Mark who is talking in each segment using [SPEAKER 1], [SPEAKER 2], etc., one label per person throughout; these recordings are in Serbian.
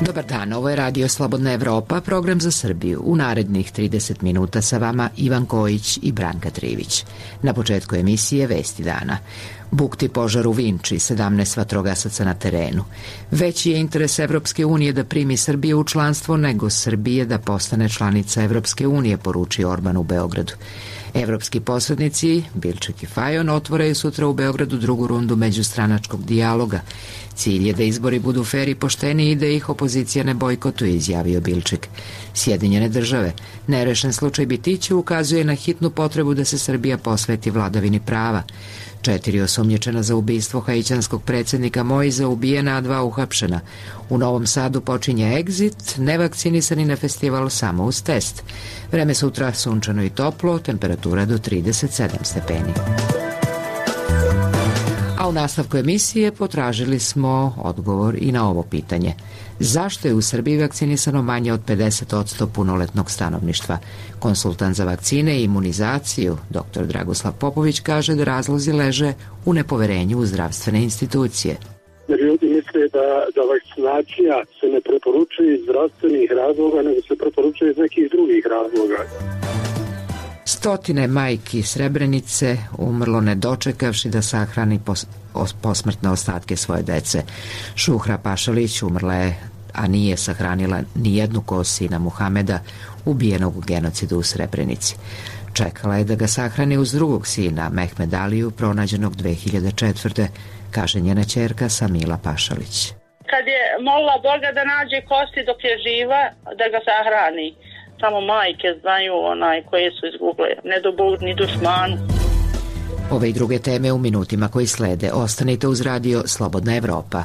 [SPEAKER 1] Dobar dan, ovo je Radio Slobodna Evropa, program za Srbiju. U narednih 30 minuta sa vama Ivan Kojić i Branka Trivić. Na početku emisije Vesti dana. Bukti požar u Vinči, 17 vatrogasaca na terenu. Veći je interes Evropske unije da primi Srbiju u članstvo nego Srbije da postane članica Evropske unije, poručio Orban u Beogradu. Evropski posrednici, Bilčik i Fajon, otvoraju sutra u Beogradu drugu rundu međustranačkog dijaloga. Cilj je da izbori budu fer i pošteni i da ih opozicija ne bojkotuje, izjavio Bilčik. Sjedinjene države. Nerešen slučaj Bitiću ukazuje na hitnu potrebu da se Srbija posveti vladavini prava. 4 osumnjičena za ubistvo haitijanskog predsjednika Moiza ubijena, a 2 uhapšena. U Novom Sadu počinje Exit, nevakcinisani na festival samo uz test. Vreme sutra sunčano i toplo, temperatura do 37 stepeni. A u nastavku emisije potražili smo odgovor i na ovo pitanje. Zašto je u Srbiji vakcinisano manje od 50% punoletnog stanovništva? Konsultant za vakcine i imunizaciju, dr. Dragoslav Popović, kaže da razlozi leže u nepoverenju u zdravstvene institucije.
[SPEAKER 2] Ljudi misle da vakcinacija se ne preporučuje iz zdravstvenih razloga, nego se preporučuje iz nekih drugih razloga.
[SPEAKER 1] Stotine majki Srebrenice umrlo ne dočekavši da sahrani posmrtne ostatke svoje dece. Šuhra Pašalić umrla je, a nije sahranila ni jednu kost sina Muhameda, ubijenog u genocidu u Srebrenici. Čekala je da ga sahrani uz drugog sina, Mehmed Aliju, pronađenog 2004. kaže njena ćerka Samila Pašalić.
[SPEAKER 3] Kad je molila Boga da nađe kosti dok je živa, da ga sahrani. Samo majke znaju koje su izguble, ne do Bog ni dušmanu.
[SPEAKER 1] Ove i druge teme u minutima koji slede. Ostanite uz Radio Slobodna Evropa.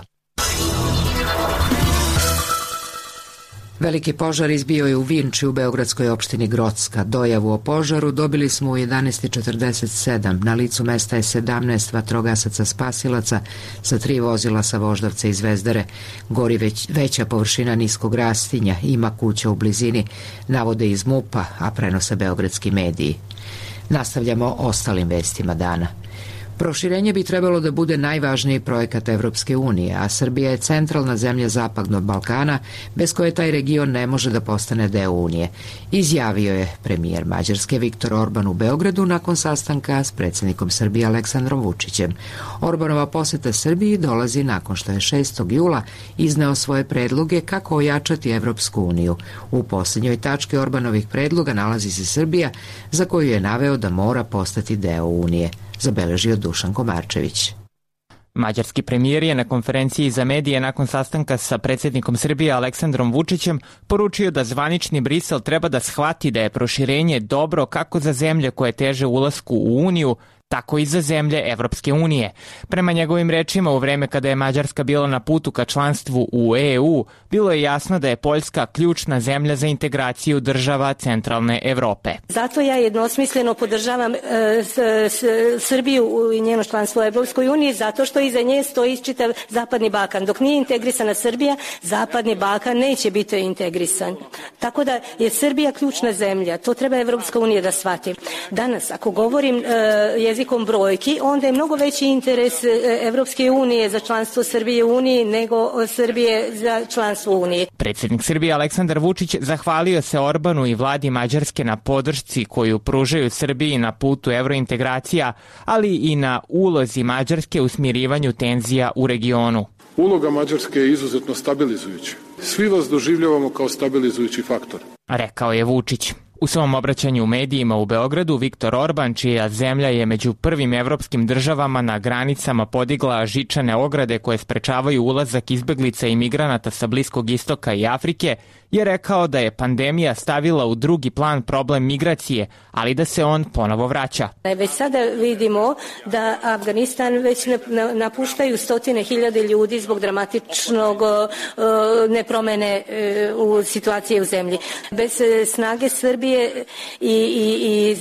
[SPEAKER 1] Veliki požar izbio je u Vinči u beogradskoj opštini Grocka. Dojavu o požaru dobili smo u 11:47. Na licu mesta je 17 vatrogasaca spasilaca sa 3 vozila sa Voždovca i Zvezdare. Gori veća površina niskog rastinja, ima kuća u blizini, navode iz MUP-a, a prenose beogradski mediji. Nastavljamo ostalim vestima dana. Proširenje bi trebalo da bude najvažniji projekat Evropske unije, a Srbija je centralna zemlja Zapadnog Balkana, bez koje taj region ne može da postane deo Unije, izjavio je premijer Mađarske Viktor Orban u Beogradu nakon sastanka s predsjednikom Srbije Aleksandrom Vučićem. Orbanova poseta Srbiji dolazi nakon što je 6. jula izneo svoje predloge kako ojačati Evropsku uniju. U posljednjoj tački Orbanovih predloga nalazi se Srbija, za koju je naveo da mora postati deo Unije, zabeležio Dušan Komarčević.
[SPEAKER 4] Mađarski premijer je na konferenciji za medije nakon sastanka sa predsjednikom Srbije Aleksandrom Vučićem poručio da zvanični Brisel treba da shvati da je proširenje dobro kako za zemlje koje teže ulasku u Uniju, tako i za zemlje Evropske unije. Prema njegovim rečima, u vreme kada je Mađarska bila na putu ka članstvu u EU, bilo je jasno da je Poljska ključna zemlja za integraciju država centralne Evrope.
[SPEAKER 5] Zato ja jednosmisleno podržavam Srbiju i njeno članstvo u Evropskoj uniji, zato što iza nje stoji čitav Zapadni Balkan. Dok nije integrisana Srbija, Zapadni Balkan neće biti integrisan. Tako da je Srbija ključna zemlja. To treba Evropska unija da shvati. Danas, ako govorim jezikom brojki, onda je mnogo veći interes Evropske unije za članstvo Srbije u Uniji nego Srbije za članstvo u Uniji.
[SPEAKER 4] Predsjednik Srbije Aleksandar Vučić zahvalio se Orbanu i vladi Mađarske na podršci koju pružaju Srbiji na putu evrointegracija, ali i na ulozi Mađarske u smirivanju tenzija u regionu.
[SPEAKER 6] Uloga Mađarske je izuzetno stabilizujuća. Svi vas doživljavamo kao stabilizujući faktor,
[SPEAKER 4] rekao je Vučić. U svom obraćanju u medijima u Beogradu, Viktor Orban, čija zemlja je među prvim evropskim državama na granicama podigla žičane ograde koje sprečavaju ulazak izbeglica i migranata sa Bliskog istoka i Afrike, je rekao da je pandemija stavila u drugi plan problem migracije, ali da se on ponovo vraća.
[SPEAKER 5] Već sada vidimo da Afganistan već napuštaju stotine hiljade ljudi zbog dramatičnog nepromene u situacije u zemlji. Bez snage Srbije i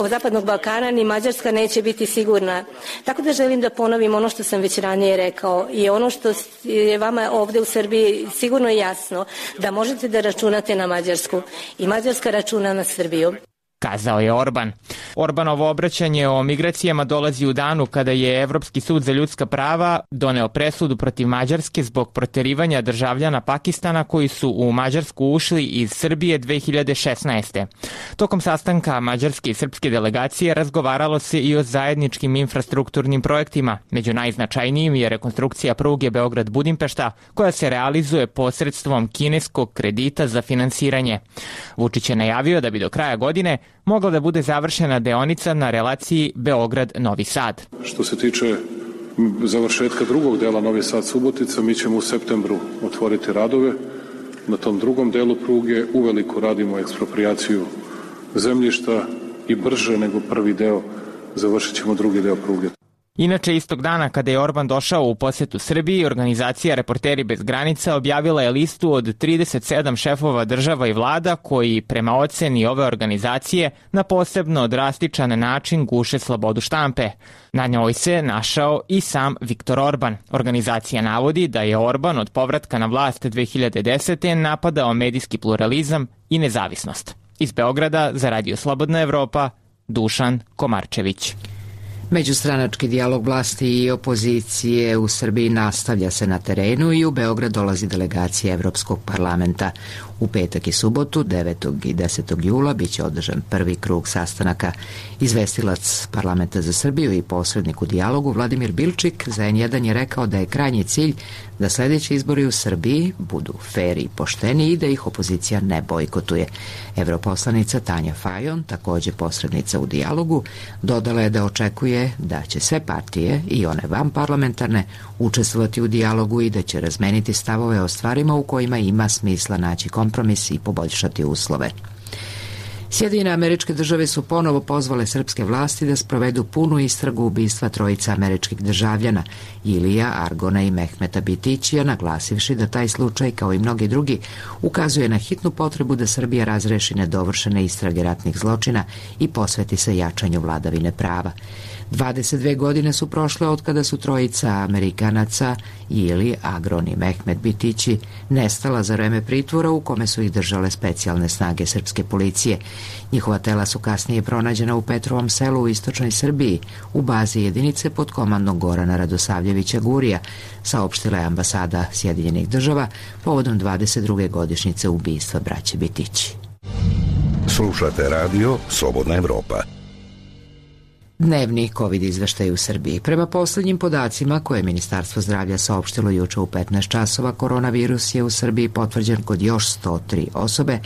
[SPEAKER 5] Zapadnog Balkana ni Mađarska neće biti sigurna. Tako da želim da ponovim ono što sam već ranije rekao i ono što je vama ovde u Srbiji sigurno jasno, da možete da računate na Mađarsku i Mađarska računa na Srbiju.
[SPEAKER 4] kazao je Orban. Orbanovo obraćanje o migracijama dolazi u danu kada je Evropski sud za ljudska prava doneo presudu protiv Mađarske zbog proterivanja državljana Pakistana koji su u Mađarsku ušli iz Srbije 2016. Tokom sastanka mađarske i srpske delegacije razgovaralo se i o zajedničkim infrastrukturnim projektima. Među najznačajnijim je rekonstrukcija pruge Beograd-Budimpešta koja se realizuje posredstvom kineskog kredita za finansiranje. Vučić je najavio da bi do kraja godine mogla da bude završena deonica na relaciji Beograd-Novi Sad.
[SPEAKER 6] Što se tiče završetka drugog dela Novi Sad-Subotica, mi ćemo u septembru otvoriti radove. Na tom drugom delu pruge uveliko radimo eksproprijaciju zemljišta i brže nego prvi deo završit ćemo drugi deo pruge.
[SPEAKER 4] Inače, istog dana kada je Orban došao u posetu Srbiji, organizacija Reporteri bez granica objavila je listu od 37 šefova država i vlada koji, prema oceni ove organizacije, na posebno drastičan način guše slobodu štampe. Na njoj se našao i sam Viktor Orban. Organizacija navodi da je Orban od povratka na vlast 2010. napadao medijski pluralizam i nezavisnost. Iz Beograda za Radio Slobodna Evropa, Dušan Komarčević.
[SPEAKER 1] Međustranački dijalog vlasti i opozicije u Srbiji nastavlja se na terenu i u Beograd dolazi delegacija Evropskog parlamenta. U petak i subotu, 9. i 10. jula, biće održan prvi krug sastanaka. Izvestilac Parlamenta za Srbiju i posrednik u dijalogu Vladimir Bilčik za N1 je rekao da je krajnji cilj da sledeći izbori u Srbiji budu fer i pošteni i da ih opozicija ne bojkotuje. Evroposlanica Tanja Fajon, takođe posrednica u dijalogu, dodala je da očekuje da će sve partije i one vanparlamentarne učestvovati u dijalogu i da će razmeniti stavove o stvarima u kojima ima smisla naći kompromis i poboljšati uslove. Sjedinjene Američke Države su ponovo pozvale srpske vlasti da sprovedu punu istragu ubistva trojica američkih državljana, Ilija, Argona i Mehmeta Bitićija, naglasivši da taj slučaj, kao i mnogi drugi, ukazuje na hitnu potrebu da Srbija razreši nedovršene istrage ratnih zločina i posveti se jačanju vladavine prava. 22 godine su prošle od kada su trojica Amerikanaca, Ili, Agron i Mehmet Bitići, nestala za vreme pritvora u kome su ih držale specijalne snage srpske policije. Njihova tela su kasnije pronađena u Petrovom selu u istočnoj Srbiji, u bazi jedinice pod komandom Gorana Radosavljevića Gurija, saopštila je ambasada Sjedinjenih Država povodom 22. godišnjice ubistva braće Bitići.
[SPEAKER 7] Slušate radio Slobodna Evropa.
[SPEAKER 1] Dnevni COVID izveštaj u Srbiji. Prema poslednjim podacima koje je Ministarstvo zdravlja saopštilo juče u 15 časova, koronavirus je u Srbiji potvrđen kod još 103 osobe,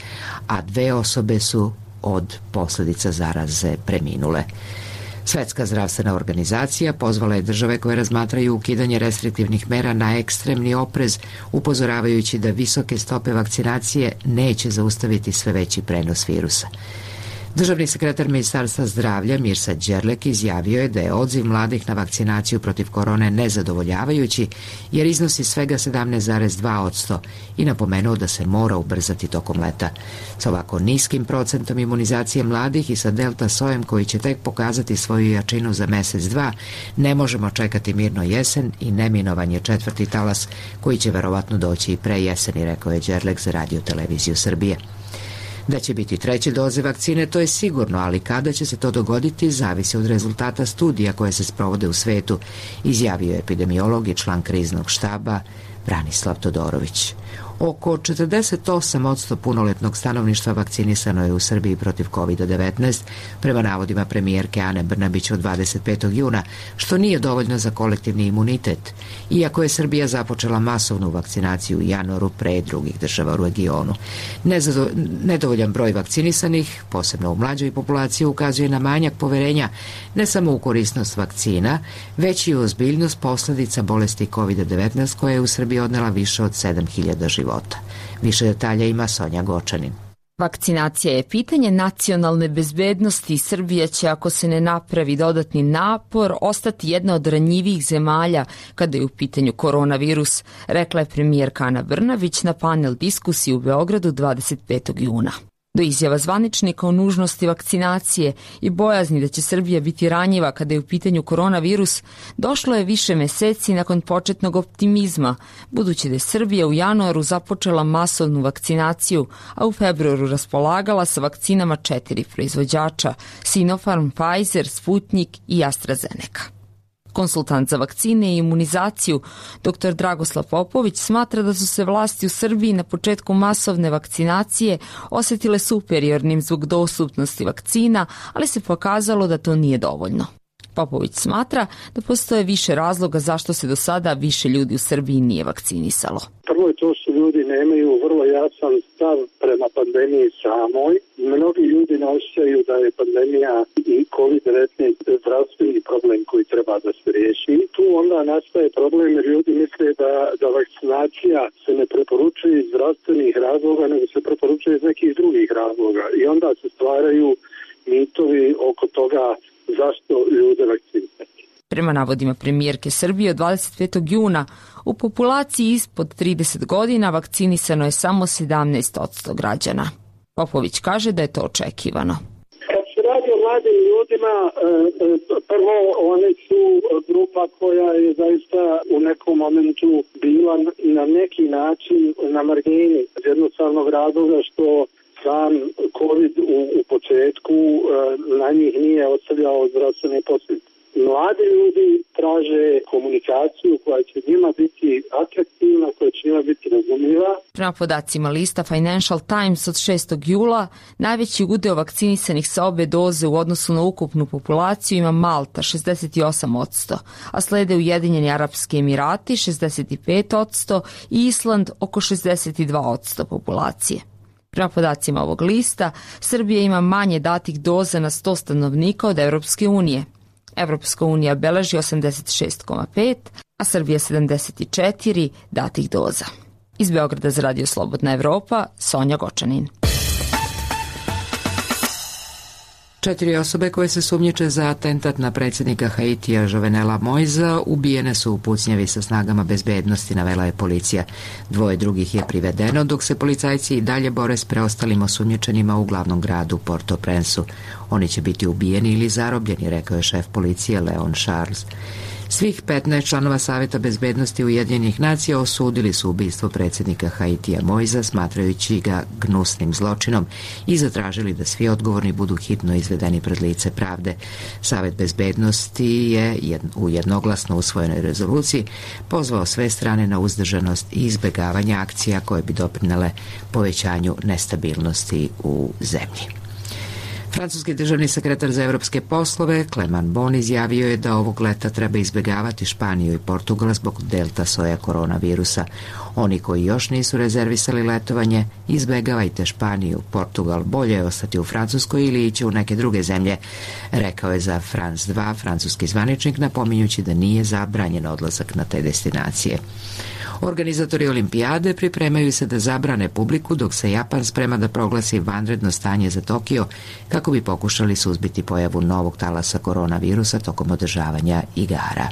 [SPEAKER 1] a 2 osobe su od posledica zaraze preminule. Svetska zdravstvena organizacija pozvala je države koje razmatraju ukidanje restriktivnih mera na ekstremni oprez, upozoravajući da visoke stope vakcinacije neće zaustaviti sve veći prenos virusa. Državni sekretar Ministarstva zdravlja Mirsad Đerlek izjavio je da je odziv mladih na vakcinaciju protiv korone nezadovoljavajući jer iznosi svega 17,2% i napomenuo da se mora ubrzati tokom leta. Sa ovako niskim procentom imunizacije mladih i sa delta sojem koji će tek pokazati svoju jačinu za mesec, dva, ne možemo čekati mirno jesen i neminovan je četvrti talas koji će verovatno doći i pre jeseni, rekao je Đerlek za Radio Televiziju Srbije. Da će biti treće doze vakcine, to je sigurno, ali kada će se to dogoditi, zavisi od rezultata studija koje se sprovode u svetu, izjavio je epidemiolog i član kriznog štaba Branislav Todorović. Oko 48% punoletnog stanovništva vakcinisano je u Srbiji protiv COVID-19, prema navodima premijerke Ane Brnabić od 25. juna, što nije dovoljno za kolektivni imunitet, iako je Srbija započela masovnu vakcinaciju u januaru pre drugih država u regionu. Nedovoljan broj vakcinisanih, posebno u mlađoj populaciji, ukazuje na manjak poverenja ne samo u korisnost vakcina, već i u ozbiljnost posledica bolesti COVID-19 koja je u Srbiji odnela više od 7.000 života. Više detalja ima Sonja Gočanin.
[SPEAKER 8] Vakcinacija je pitanje nacionalne bezbednosti i Srbija će, ako se ne napravi dodatni napor, ostati jedna od ranjivijih zemalja kada je u pitanju koronavirus, rekla je premijerka Ana Brnabić na panel diskusiji u Beogradu 25. juna. Do izjava zvaničnika o nužnosti vakcinacije i bojazni da će Srbija biti ranjiva kada je u pitanju koronavirus, došlo je više meseci nakon početnog optimizma, budući da je Srbija u januaru započela masovnu vakcinaciju, a u februaru raspolagala sa vakcinama 4 proizvođača: Sinopharm, Pfizer, Sputnik i AstraZeneca. Konsultant za vakcine i imunizaciju, dr. Dragoslav Popović, smatra da su se vlasti u Srbiji na početku masovne vakcinacije osetile superiornim zbog dostupnosti vakcina, ali se pokazalo da to nije dovoljno. Popović smatra da postoje više razloga zašto se do sada više ljudi u Srbiji nije vakcinisalo.
[SPEAKER 2] Prvo je to što ljudi nemaju vrlo jasan stav prema pandemiji samoj. Mnogi ljudi ne osjećaju da je pandemija i COVID-19 zdravstveni problem koji treba da se riješi. Tu onda nastaje problem jer ljudi misle da vakcinacija se ne preporučuje iz zdravstvenih razloga, nego se preporučuje iz nekih drugih razloga. I onda se stvaraju mitovi oko toga zašto ljude vakcinisati.
[SPEAKER 8] Prema navodima premijerke Srbije, od 25. juna u populaciji ispod 30 godina vakcinisano je samo 17% građana. Popović kaže da je to očekivano.
[SPEAKER 2] Kad se radi o mladim ljudima, prvo oni su grupa koja je zaista u nekom momentu bila na neki način na margini iz jednostavnog razloga što sam COVID u početku na njih nije ostavljao zdravstvene posljedice. Mladi ljudi traže komunikaciju koja će njima biti atraktivna, koja će njima biti razumljiva.
[SPEAKER 8] Prema podacima lista Financial Times od 6. jula, najveći udeo vakcinisanih sa obe doze u odnosu na ukupnu populaciju ima Malta 68%, a slede Ujedinjeni Arapski Emirati 65% i Island oko 62% populacije. Prema podacima ovog lista, Srbija ima manje datih doza na 100 stanovnika od Evropske unije. Evropska unija beleži 86,5, a Srbija 74 datih doza. Iz Beograda za Radio Slobodna Evropa, Sonja Gočanin.
[SPEAKER 1] 4 osobe koje se sumnjiče za atentat na predsjednika Haitija Jovenela Moisa ubijene su u pucnjavi sa snagama bezbednosti, navela je policija. 2 drugih je privedeno, dok se policajci i dalje bore s preostalim osumnjičenima u glavnom gradu Port-au-Prince-u. Oni će biti ubijeni ili zarobljeni, rekao je šef policije Leon Charles. Svih 15 članova Saveta bezbednosti Ujedinjenih nacija osudili su ubistvo predsjednika Haitija Moisa, smatrajući ga gnusnim zločinom, i zatražili da svi odgovorni budu hitno izvedeni pred lice pravde. Savet bezbednosti je u jednoglasno usvojenoj rezoluciji pozvao sve strane na uzdržanost i izbjegavanje akcija koje bi doprinele povećanju nestabilnosti u zemlji. Francuski državni sekretar za evropske poslove Clement Bon izjavio je da ovog leta treba izbjegavati Španiju i Portugal zbog delta soja koronavirusa. Oni koji još nisu rezervisali letovanje, izbjegavajte Španiju, Portugal, bolje je ostati u Francuskoj ili ići u neke druge zemlje, rekao je za France 2 francuski zvaničnik, napominjući da nije zabranjen odlazak na te destinacije. Organizatori olimpijade pripremaju se da zabrane publiku, dok se Japan sprema da proglasi vanredno stanje za Tokio kako bi pokušali suzbiti pojavu novog talasa koronavirusa tokom održavanja igara.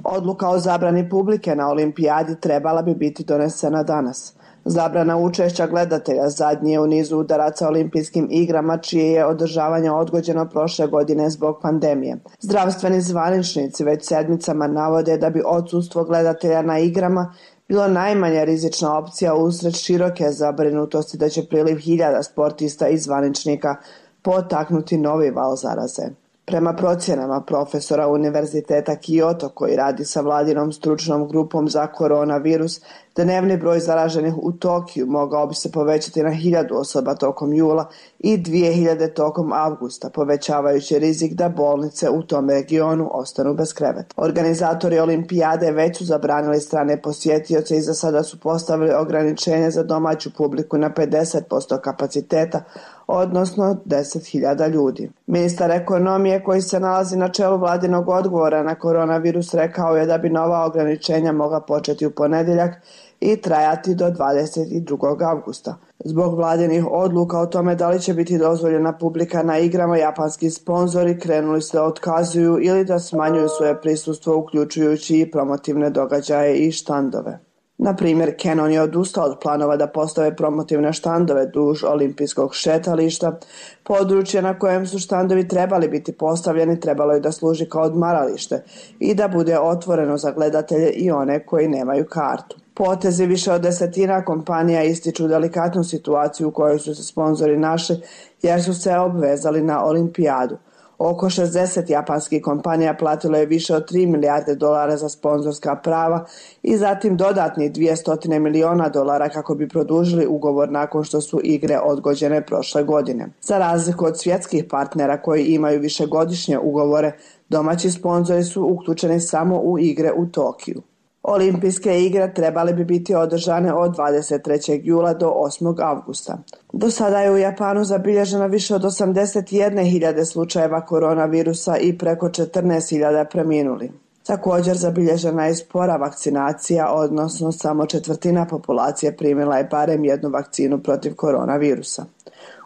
[SPEAKER 9] Odluka o zabrani publike na olimpijadi trebala bi biti donesena danas. Zabrana učešća gledatelja zadnji je u nizu udaraca olimpijskim igrama, čije je održavanje odgođeno prošle godine zbog pandemije. Zdravstveni zvaničnici već sedmicama navode da bi odsustvo gledatelja na igrama bilo najmanja rizična opcija usred široke zabrinutosti da će priliv hiljada sportista i zvaničnika potaknuti novi val zaraze. Prema procjenama profesora Univerziteta Kyoto, koji radi sa vladinom stručnom grupom za koronavirus, dnevni broj zaraženih u Tokiju mogao bi se povećati na 1000 osoba tokom jula i 2000 tokom avgusta, povećavajući rizik da bolnice u tom regionu ostanu bez kreveta. Organizatori olimpijade već su zabranili strane posjetioce i za sada su postavili ograničenje za domaću publiku na 50% kapaciteta, odnosno 10.000 ljudi. Ministar ekonomije, koji se nalazi na čelu vladinog odgovora na koronavirus, rekao je da bi nova ograničenja mogla početi u ponedjeljak i trajati do 22. avgusta. Zbog vladinih odluka o tome da li će biti dozvoljena publika na igrama, japanski sponzori krenuli se da otkazuju ili da smanjuju svoje prisustvo, uključujući i promotivne događaje i štandove. Na primjer, Canon je odustao od planova da postave promotivne štandove duž olimpijskog šetališta. Područje na kojem su štandovi trebali biti postavljeni trebalo je da služi kao odmaralište i da bude otvoreno za gledatelje i one koji nemaju kartu. Potezi više od 10 kompanija ističu delikatnu situaciju u kojoj su se sponzori našli jer su se obvezali na olimpijadu. Oko 60 japanskih kompanija platilo je više od 3 milijarde dolara za sponzorska prava i zatim dodatnih 200 miliona dolara kako bi produžili ugovor nakon što su igre odgođene prošle godine. Za razliku od svjetskih partnera koji imaju višegodišnje ugovore, domaći sponzori su uključeni samo u igre u Tokiju. Olimpijske igre trebale bi biti održane od 23. jula do 8. avgusta. Do sada je u Japanu zabilježeno više od 81.000 slučajeva koronavirusa i preko 14.000 preminuli. Također zabilježena je spora vakcinacija, odnosno samo 1/4 populacije primila je barem jednu vakcinu protiv koronavirusa.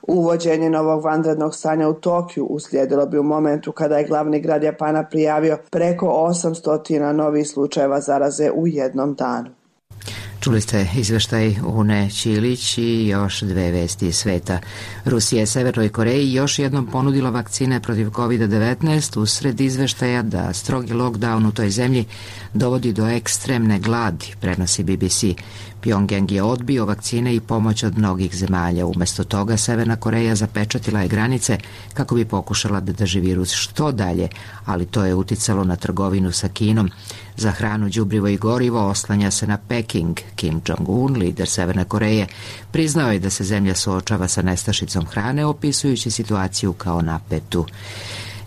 [SPEAKER 9] Uvođenje novog vanrednog stanja u Tokiju uslijedilo bi u momentu kada je glavni grad Japana prijavio preko 800 novih slučajeva zaraze u jednom danu.
[SPEAKER 1] Čuli ste izveštaj Une Ćilić i još dve vesti iz sveta. Rusija je Severnoj Koreji još jednom ponudila vakcine protiv COVID-19 usred izveštaja da strogi lockdown u toj zemlji dovodi do ekstremne gladi, prenosi BBC. Pjongjang je odbio vakcine i pomoć od mnogih zemalja. Umesto toga Severna Koreja zapečatila je granice kako bi pokušala da drži virus što dalje, ali to je uticalo na trgovinu sa Kinom. Za hranu, đubrivo i gorivo oslanja se na Peking. Kim Jong-un, lider Severne Koreje, priznao je da se zemlja suočava sa nestašicom hrane, opisujući situaciju kao napetu.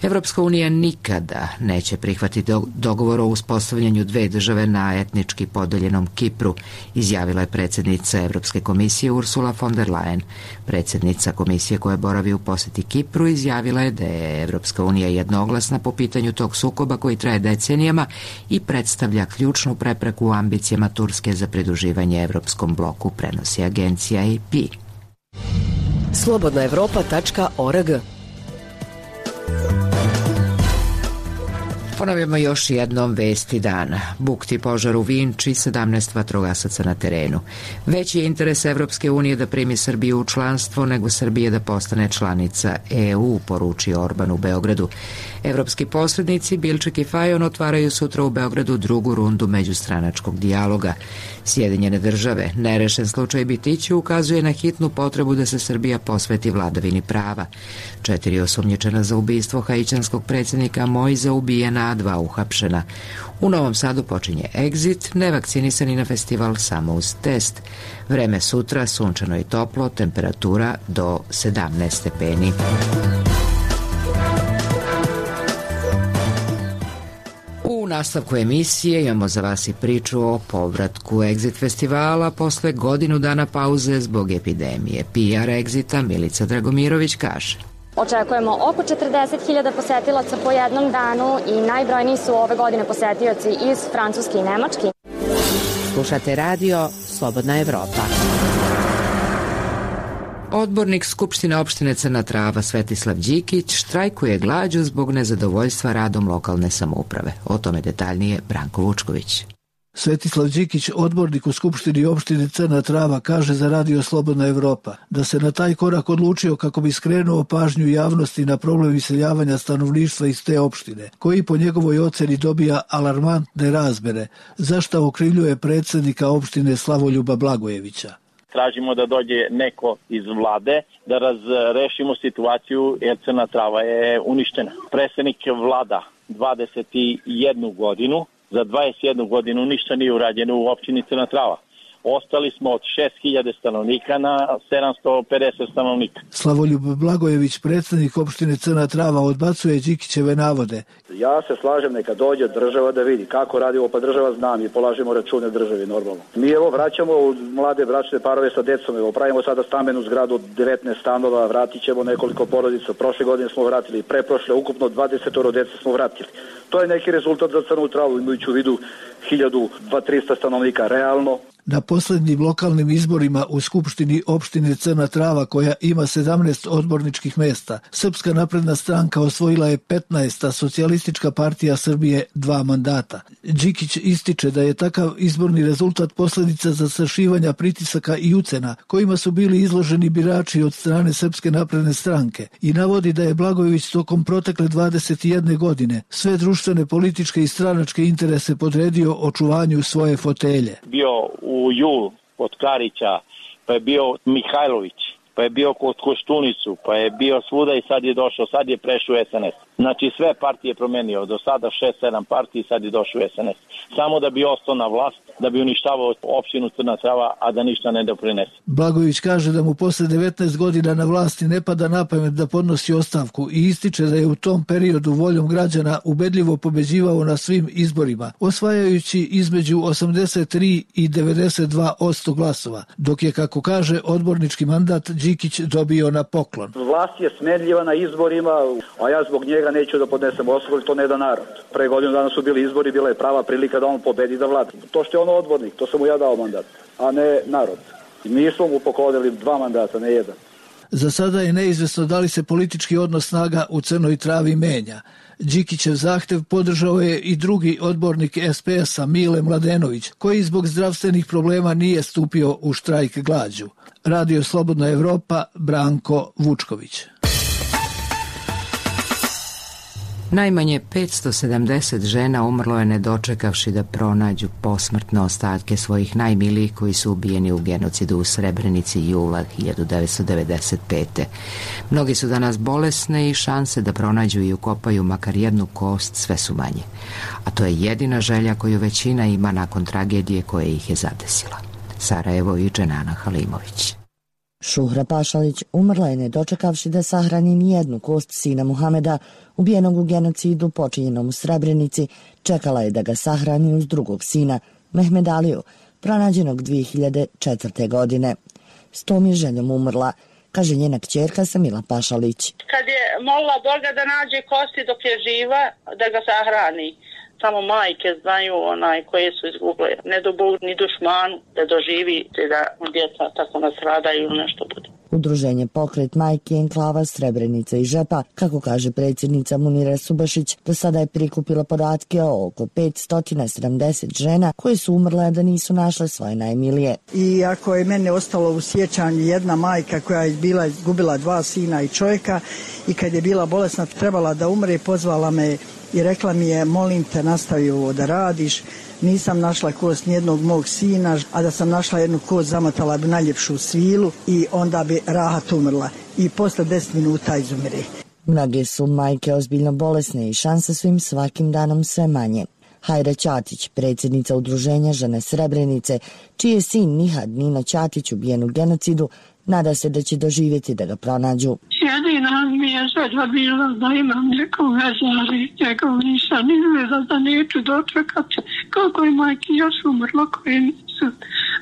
[SPEAKER 1] Evropska unija nikada neće prihvatiti dogovor o uspostavljanju dve države na etnički podeljenom Kipru, izjavila je predsjednica Evropske komisije Ursula von der Leyen. Predsjednica komisije koja boravi u posjeti Kipru izjavila je da je Evropska unija jednoglasna po pitanju tog sukoba koji traje decenijama i predstavlja ključnu prepreku u ambicijama Turske za pridruživanje Evropskom bloku, prenosi agencija AP.
[SPEAKER 10] Slobodnaevropa.org.
[SPEAKER 1] Ponovimo još jednom vesti dana. Bukti požar u Vinči, 17 vatrogasaca na terenu. Veći je interes Evropske unije da primi Srbiju u članstvo nego Srbije da postane članica EU, poručio Orban u Beogradu. Evropski posrednici Bilčik i Fajon otvaraju sutra u Beogradu drugu rundu međustranačkog dijaloga. Sjedinjene države, nerešen slučaj Bitiću ukazuje na hitnu potrebu da se Srbija posveti vladavini prava. 4 osumnjičena za ubistvo haićanskog predsjednika Mojza ubijena, a 2 uhapšena. U Novom Sadu počinje Exit, nevakcinisani na festival samo uz test. Vreme sutra, sunčano i toplo, temperatura do 17 stepeni. U nastavku emisije imamo za vas i priču o povratku Exit festivala posle godinu dana pauze zbog epidemije. PR Exita Milica Dragomirović kaže:
[SPEAKER 11] Očekujemo oko 40.000 posetilaca po jednom danu i najbrojniji su ove godine posetioci iz Francuske i Nemačke.
[SPEAKER 10] Slušate radio Slobodna Evropa.
[SPEAKER 1] Odbornik Skupštine opštine Crna Trava Svetislav Đikić štrajkuje glađu zbog nezadovoljstva radom lokalne samouprave. O tome detaljnije Branko Vučković.
[SPEAKER 12] Svetislav Đikić, odbornik u Skupštini opštine Crna Trava, kaže za radio Slobodna Evropa da se na taj korak odlučio kako bi skrenuo pažnju javnosti na problem iseljavanja stanovništva iz te opštine, koji po njegovoj oceni dobija alarmantne razmere, za šta okrivljuje predsjednika opštine Slavoljuba Blagojevića.
[SPEAKER 13] Tražimo da dođe neko iz vlade da razrešimo situaciju jer Crna Trava je uništena. Predsjednik vlada 21 godinu, za 21 godinu ništa nije urađeno u opštini Crna Trava. Ostali smo od 6.000 stanovnika na 750 stanovnika.
[SPEAKER 12] Slavoljub Blagojević, predsjednik opštine Crna Trava, odbacuje Đikićeve navode.
[SPEAKER 14] Ja se slažem, neka dođe država da vidi kako radimo, pa država zna, mi polažemo račune državi normalno. Mi evo vraćamo mlade bračne parove sa decom, evo pravimo sada stambenu zgradu od 19 stanova, vratit ćemo nekoliko porodica. Prošle godine smo vratili, preprošle ukupno 20 dece smo vratili. To je neki rezultat za Crnu Travu, imajući u vidu 1200-300 stanovnika realno.
[SPEAKER 12] Na posljednjim lokalnim izborima u Skupštini opštine Crna Trava, koja ima 17 odborničkih mjesta, Srpska napredna stranka osvojila je 15, a Socijalistička partija Srbije 2 mandata. Đikić ističe da je takav izborni rezultat posljedica zastrašivanja, pritisaka i ucena kojima su bili izloženi birači od strane Srpske napredne stranke i navodi da je Blagojević tokom protekle 21 godine sve društvene, političke i stranačke interese podredio očuvanju svoje fotelje.
[SPEAKER 13] Bio u Jul kod Karića, pa je bio Mihajlović, pa je bio kod Koštunicu, pa je bio svuda i sad je došao, sad je prešao u SNS. Znači sve partije promenio, do sada 6-7 partiji, sad je došao u SNS. Samo da bi ostao na vlast, da bi uništavao opštinu Crna Trava, a da ništa ne doprinese.
[SPEAKER 12] Blagojević kaže da mu posle 19 godina na vlasti ne pada na pamet da podnosi ostavku i ističe da je u tom periodu voljom građana ubedljivo pobeđivao na svim izborima, osvajajući između 83 i 92% glasova, dok je, kako kaže, odbornički mandat Đikić dobio na poklon.
[SPEAKER 14] Vlast je smedljiva na izborima, a ja zbog njega neću da podnesem ostavku, to ne da narod. Pre godinu dana su bili izbori, bila je prava prilika da on pobedi da vlada. To što je on odbornik, to sam mu ja dao mandat, a ne narod. Mi smo mu poklonili 2 mandata, ne 1.
[SPEAKER 12] Za sada je neizvesno da li se politički odnos snaga u Crnoj Travi menja. Đikićev zahtev podržao je i drugi odbornik SPS-a Mile Mladenović, koji zbog zdravstvenih problema nije stupio u štrajk glađu. Radio Slobodna Evropa, Branko Vučković.
[SPEAKER 1] Najmanje 570 žena umrlo je ne dočekavši da pronađu posmrtne ostatke svojih najmilijih koji su ubijeni u genocidu u Srebrenici jula 1995. Mnogi su danas bolesne i šanse da pronađu i ukopaju makar jednu kost sve su manje. A to je jedina želja koju većina ima nakon tragedije koja ih je zadesila. Sarajevo i Dženana Halimović.
[SPEAKER 15] Šuhra Pašalić umrla je ne dočekavši da sahrani nijednu kost sina Muhameda, ubijenog u genocidu počinjenom u Srebrenici. Čekala je da ga sahrani uz drugog sina, Mehmed Aliju, pronađenog 2004. godine. S tom je željom umrla, kaže njena kćerka Samila Pašalić.
[SPEAKER 3] Kad je molila Boga da nađe kosti dok je živa, da ga sahrani. Samo majke znaju koje su izguble. Ne do Bog ni dušmanu da doživi da djeca tako nastradaju ili nešto bude.
[SPEAKER 15] Udruženje Pokret majki enklava Srebrenica i Žepa, kako kaže predsjednica Munira Subašić, do sada je prikupila podatke o oko 570 žena koje su umrle da nisu našle svoje najmilije.
[SPEAKER 16] I ako je mene ostalo u sjećanju jedna majka koja je bila izgubila 2 sina i čovjeka i kad je bila bolesna trebala da umre, pozvala me i rekla mi je, molim te, nastavi ovo da radiš. Nisam našla kost nijednog mog sina, a da sam našla jednu kost zamotala bi najljepšu svilu i onda bi rahat umrla. I posle 10 minuta izumire.
[SPEAKER 15] Mnoge su majke ozbiljno bolesne i šanse su im svakim danom sve manje. Hajra Ćatić, predsjednica udruženja Žene Srebrenice, čiji je sin Nihad Nino Ćatić ubijen u genocidu, nada se da će doživjeti da ga pronađu.
[SPEAKER 17] Jedina mi je želja bila da imam nekog vezari, njegov nisam izveza da neću dočekati koliko je majki još umrlo koje nisu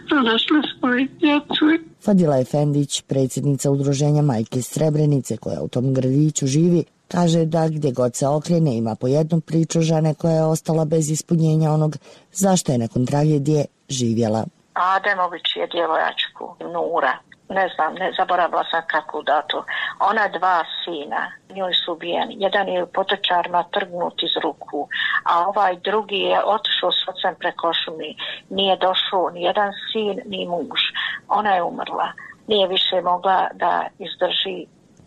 [SPEAKER 17] pronašle svoje djecu.
[SPEAKER 15] Fadila Efendić, predsjednica udruženja Majke Srebrenice koja u tom gradiću živi, kaže da gdje god se okrene ima po jednu priču žene koja je ostala bez ispunjenja onog zašto je nakon tragedije živjela.
[SPEAKER 18] Ademović je djevojačku Nura. Ne znam, ne zaboravila sam kako dato. Ona 2 sina, njoj su ubijeni. Jedan je u potočarima trgnut iz ruku, a ovaj drugi je otišao s ocem preko šumi. Nije došao ni jedan sin, ni muž. Ona je umrla. Nije više mogla da izdrži.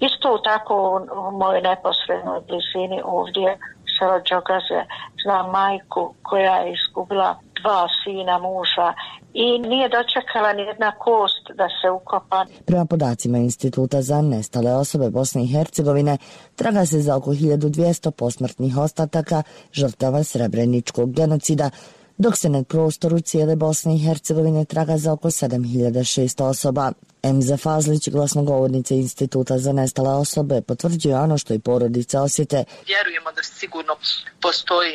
[SPEAKER 18] Isto tako u mojoj neposrednoj blizini ovdje, selo Đogaze, znam majku koja je izgubila 2 sina muža i nije dočekala ni jedna kost da se ukopa.
[SPEAKER 15] Prema podacima Instituta za nestale osobe Bosne i Hercegovine, traga se za oko 1200 posmrtnih ostataka žrtava Srebreničkog genocida, dok se na prostoru cijele Bosne i Hercegovine traga za oko 7600 osoba. Emza Fazlić, glasnogovornica Instituta za nestale osobe, potvrđuje ono što i porodice osjete.
[SPEAKER 19] Vjerujemo da sigurno postoji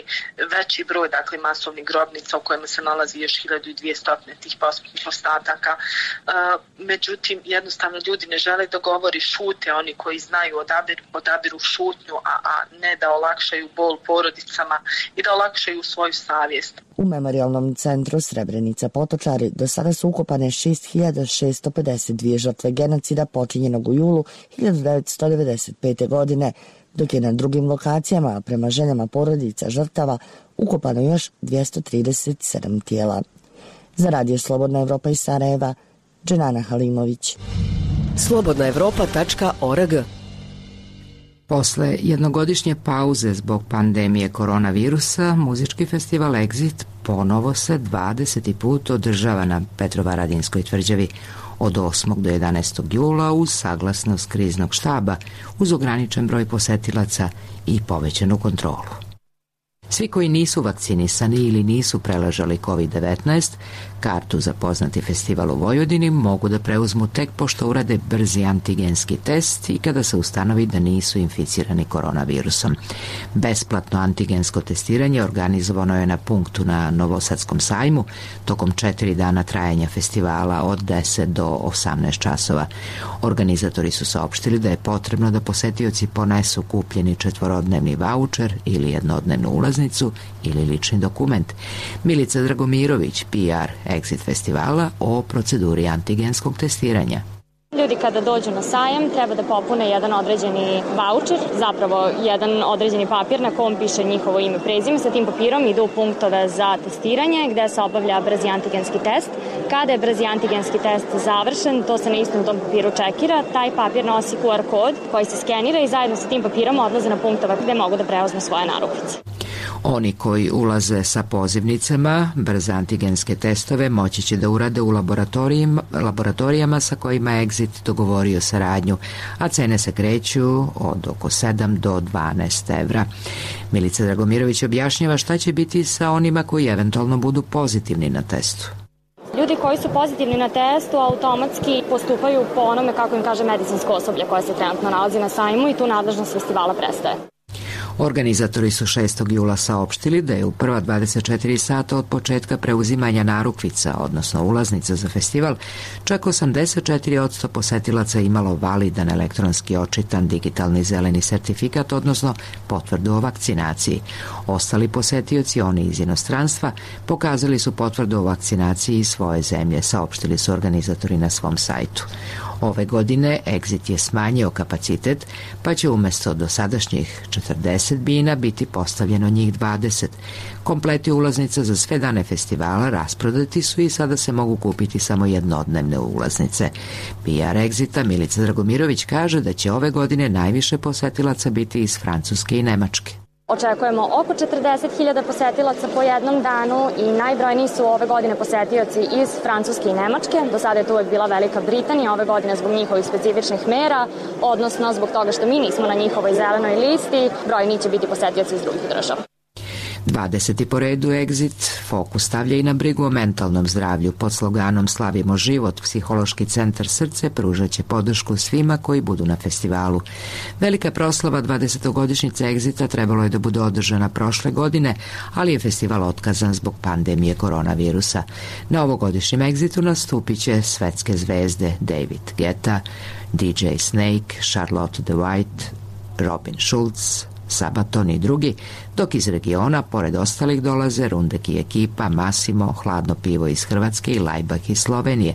[SPEAKER 19] veći broj masovnih grobnica u kojima se nalazi još 1200 tih posmrtnih ostataka. Međutim, jednostavno ljudi ne žele da govori, šute, oni koji znaju odabiru šutnju, a ne da olakšaju bol porodicama i da olakšaju svoju savjest.
[SPEAKER 15] U Memorijalnom centru Srebrenica Potočari do sada su ukopane 6652 žrtve genocida počinjenog u julu 1995. godine, dok je na drugim lokacijama, prema željama porodica žrtava, ukopano još 237 tijela. Za Radio Slobodna Evropa iz Sarajeva, Dženana Halimović.
[SPEAKER 10] Slobodnaevropa.org.
[SPEAKER 1] Posle jednogodišnje pauze zbog pandemije koronavirusa, muzički festival Exit ponovo se 20. put održava na Petrovaradinskoj tvrđavi od 8. do 11. jula uz saglasnost kriznog štaba, uz ograničen broj posetilaca i povećanu kontrolu. Svi koji nisu vakcinisani ili nisu preležali COVID-19, kartu za poznati festival u Vojvodini mogu da preuzmu tek pošto urade brzi antigenski test i kada se ustanovi da nisu inficirani koronavirusom. Besplatno antigensko testiranje organizovano je na punktu na Novosadskom sajmu tokom 4 dana trajanja festivala od 10 do 18 časova. Organizatori su saopštili da je potrebno da posetioci ponesu kupljeni 4-dnevni vaučer ili jednodnevnu ulaznicu ili lični dokument. Milica Dragomirović, PR Exit festivala, o proceduri antigenskog testiranja.
[SPEAKER 11] Ljudi kada dođu na sajam treba da popune jedan određeni vaučer, zapravo jedan određeni papir na kom piše njihovo ime, prezime. Sa tim papirom idu u punktove za testiranje gde se obavlja brzi antigenski test. Kada je brzi antigenski test završen, to se na istom tom papiru čekira, taj papir nosi QR kod koji se skenira i zajedno sa tim papirom odlaze na punktove gde mogu da preuzmu svoje narukvice.
[SPEAKER 1] Oni koji ulaze sa pozivnicama, brze antigenske testove moći će da urade u laboratorijama sa kojima je Exit dogovorio saradnju, a cene se kreću od oko 7 do 12 evra. Milica Dragomirović objašnjava šta će biti sa onima koji eventualno budu pozitivni na testu.
[SPEAKER 11] Ljudi koji su pozitivni na testu automatski postupaju po onome kako im kaže medicinsko osoblje koje se trenutno nalazi na sajmu i tu nadležnost festivala prestaje.
[SPEAKER 1] Organizatori su 6. jula saopštili da je u prva 24 sata od početka preuzimanja narukvica, odnosno ulaznica za festival, čak 84% posetilaca imalo validan elektronski očitan digitalni zeleni sertifikat, odnosno potvrdu o vakcinaciji. Ostali posetioci, oni iz inostranstva, pokazali su potvrdu o vakcinaciji iz svoje zemlje, saopštili su organizatori na svom sajtu. Ove godine Exit je smanjio kapacitet, pa će umjesto dosadašnjih 40 bina biti postavljeno njih 20. Kompleti ulaznica za sve dane festivala rasprodati su i sada se mogu kupiti samo jednodnevne ulaznice. PR Exita Milica Dragomirović kaže da će ove godine najviše posetilaca biti iz Francuske i Nemačke.
[SPEAKER 11] Očekujemo oko 40.000 posetilaca po jednom danu i najbrojniji su ove godine posetioci iz Francuske i Nemačke. Do sada je to uvek bila Velika Britanija, ove godine zbog njihovih specifičnih mera, odnosno zbog toga što mi nismo na njihovoj zelenoj listi, brojni će biti posetioci iz drugih država.
[SPEAKER 1] 20. po redu Exit fokus stavlja i na brigu o mentalnom zdravlju. Pod sloganom Slavimo život, Psihološki centar Srce pružat će podršku svima koji budu na festivalu. Velika proslava 20-godišnjice Exita trebalo je da bude održana prošle godine, ali je festival otkazan zbog pandemije koronavirusa. Na ovogodišnjem Exitu nastupit će svetske zvezde David Guetta, DJ Snake, Charlotte the White, Robin Schulz, Sabaton i drugi, dok iz regiona, pored ostalih, dolaze Rundek i ekipa, Massimo, Hladno pivo iz Hrvatske i Laibach iz Slovenije.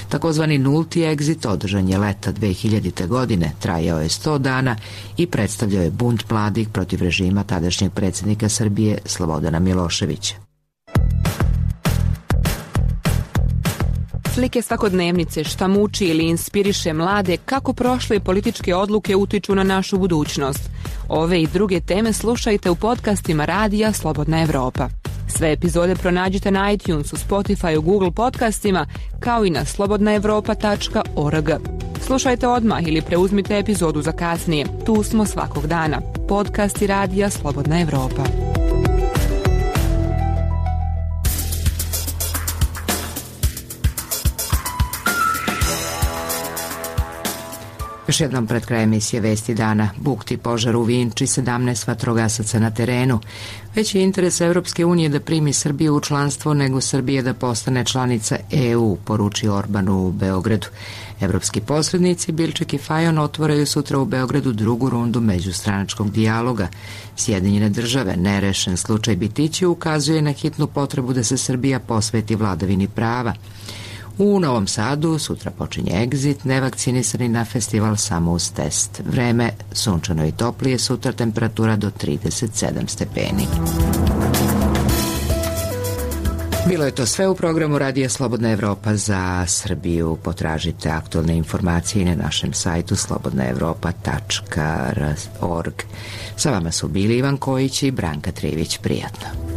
[SPEAKER 1] Takozvani nulti Exit održan je leta 2000. godine, trajao je 100 dana i predstavljao je bunt mladih protiv režima tadašnjeg predsjednika Srbije Slobodana Miloševića.
[SPEAKER 20] Slike svakodnevnice, šta muči ili inspiriše mlade, kako prošle političke odluke utiču na našu budućnost. Ove i druge teme slušajte u podcastima Radija Slobodna Evropa. Sve epizode pronađite na iTunesu, Spotify, Google podcastima, kao i na slobodnaevropa.org. Slušajte odmah ili preuzmite epizodu za kasnije. Tu smo svakog dana. Podcasti Radija Slobodna Evropa.
[SPEAKER 1] Još jednom pred kraj emisije Vesti dana. Bukti požar u Vinči, 17 vatrogasaca na terenu. Veći je interes Evropske unije da primi Srbiju u članstvo nego Srbije da postane članica EU, poruči Orban u Beogradu. Evropski posrednici Bilček i Fajon otvaraju sutra u Beogradu drugu rundu međustranačkog dijaloga. Sjedinjene države, nerešen slučaj Bitići, ukazuje na hitnu potrebu da se Srbija posveti vladavini prava. U Novom Sadu sutra počinje egzit, nevakcinisani na festival samo uz test. Vreme sunčano i toplije, sutra temperatura do 37 stepeni. Bilo je to sve u programu Radija Slobodna Evropa za Srbiju. Potražite aktualne informacije na našem sajtu slobodnaevropa.org. Sa vama su bili Ivan Kojić i Branka Trivić. Prijatno.